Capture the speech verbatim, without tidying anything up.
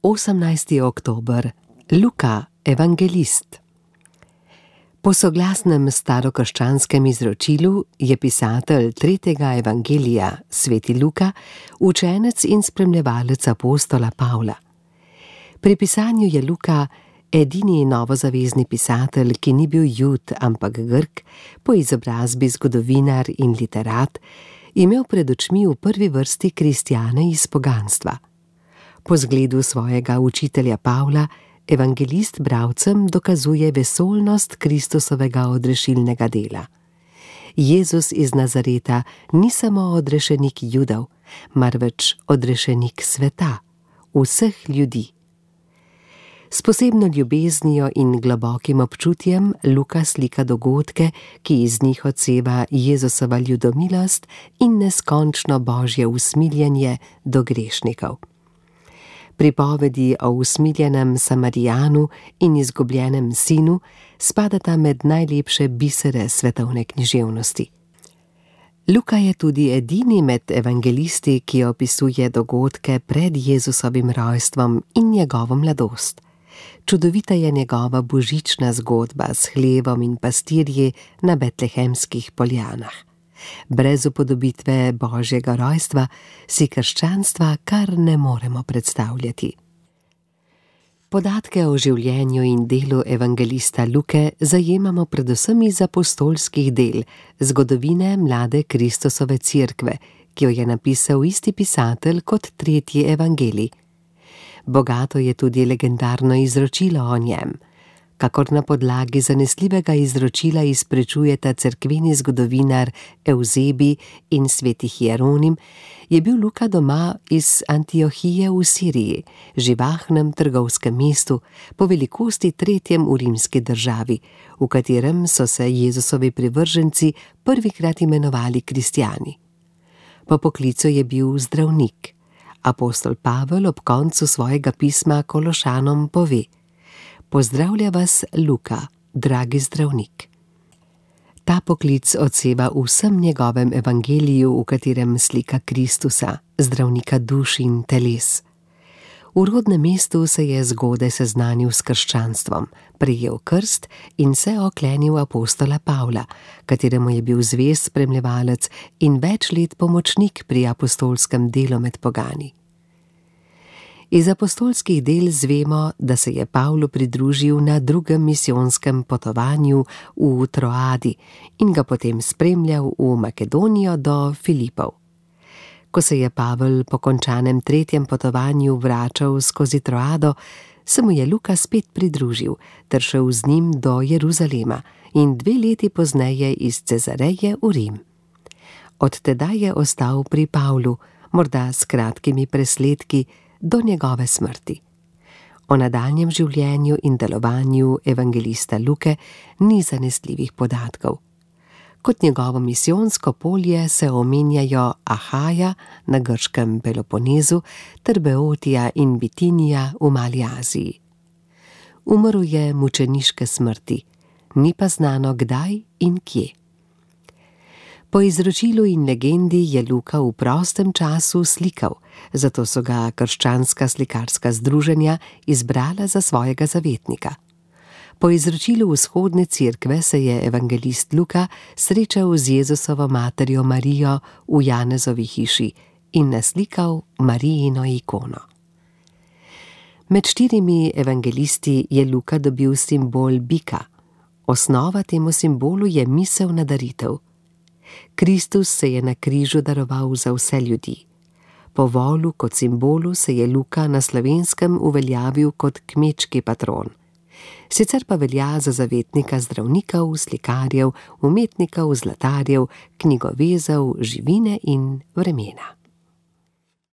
osemnajsti oktober, Luka, evangelist. Po soglasnem starokrščanskem izročilu je pisatelj tretjega evangelija, sveti Luka, učenec in spremljevalec apostola Pavla. Pri pisanju je Luka edini novozavezni pisatelj, ki ni bil Jud, ampak Grk, po izobrazbi zgodovinar in literat, imel pred očmi v prvi vrsti kristjane iz poganstva. Po zgledu svojega učitelja Pavla, evangelist bralcem dokazuje vesoljnost Kristusovega odrešilnega dela. Jezus iz Nazareta ni samo odrešenik Judov, marveč odrešenik sveta, vseh ljudi. S posebno ljubeznijo in globokim občutjem Luka slika dogodke, ki iz njih odseva Jezusova ljudomilost in neskončno božje usmiljenje do grešnikov. Pripovedi o usmiljenem Samarijanu in izgubljenem sinu spadata med najlepše bisere svetovne književnosti. Luka je tudi edini med evangelisti, ki opisuje dogodke pred Jezusovim rojstvom in njegovo mladost. Čudovita je njegova božična zgodba s hlevom in pastirji na betlehemskih poljanah. Brez upodobitve božjega rojstva si krščanstva kar ne moremo predstavljati. Podatke o življenju in delu evangelista Luke zajemamo predvsem iz apostolskih del, zgodovine mlade Kristusove cerkve, ki jo je napisal isti pisatelj kot tretji evangelij. Bogato je tudi legendarno izročilo o njem. Kakor na podlagi zanesljivega izročila izprečujeta cerkveni zgodovinar Evzebi in sveti Hieronim, je bil Luka doma iz Antiohije v Siriji, živahnem trgovskem mestu, po velikosti tretjem v rimski državi, v katerem so se Jezusovi privrženci prvikrat imenovali kristjani. Po poklicu je bil zdravnik. Apostol Pavel ob koncu svojega pisma Kološanom pove: Pozdravlja vas Luka, dragi zdravnik. Ta poklic odseva v vsem njegovem evangeliju, v katerem slika Kristusa, zdravnika duš in teles. V rodnem mestu se je zgodaj seznanil s krščanstvom, prejel krst in se oklenil apostola Pavla, kateremu je bil zvest spremljevalec in več let pomočnik pri apostolskem delu med pogani. Iz apostolskih del zvemo, da se je Pavlu pridružil na drugem misijonskem potovanju v Troadi in ga potem spremljal v Makedonijo do Filipov. Ko se je Pavel po končanem tretjem potovanju vračal skozi Troado, se mu je Luka spet pridružil ter šel z njim do Jeruzalema in dve leti pozneje iz Cezareje v Rim. Od tedaj je ostal pri Pavlu, morda s kratkimi presledki, do njegove smrti. O nadaljnjem življenju in delovanju evangelista Luke ni zanesljivih podatkov. Kot njegovo misijonsko polje se omenjajo Ahaja na grškem Peloponezu ter Beotija in Bitinija v Mali Aziji. Umrl je mučeniške smrti, ni pa znano kdaj in kje. Po izročilu in legendi je Luka v prostem času slikal, zato so ga krščanska slikarska združenja izbrala za svojega zavetnika. Po izročilu vzhodne cerkve se je evangelist Luka srečal z Jezusovo materjo Marijo v Janezovi hiši in naslikal Marijino ikono. Med štirimi evangelisti je Luka dobil simbol bika. Osnova temu simbolu je misel na daritev. Kristus se je na križu daroval za vse ljudi. Po volu kot simbolu se je Luka na Slovenskem uveljavil kot kmečki patron. Sicer pa velja za zavetnika zdravnikov, slikarjev, umetnikov, zlatarjev, knjigovezov, živine in vremena.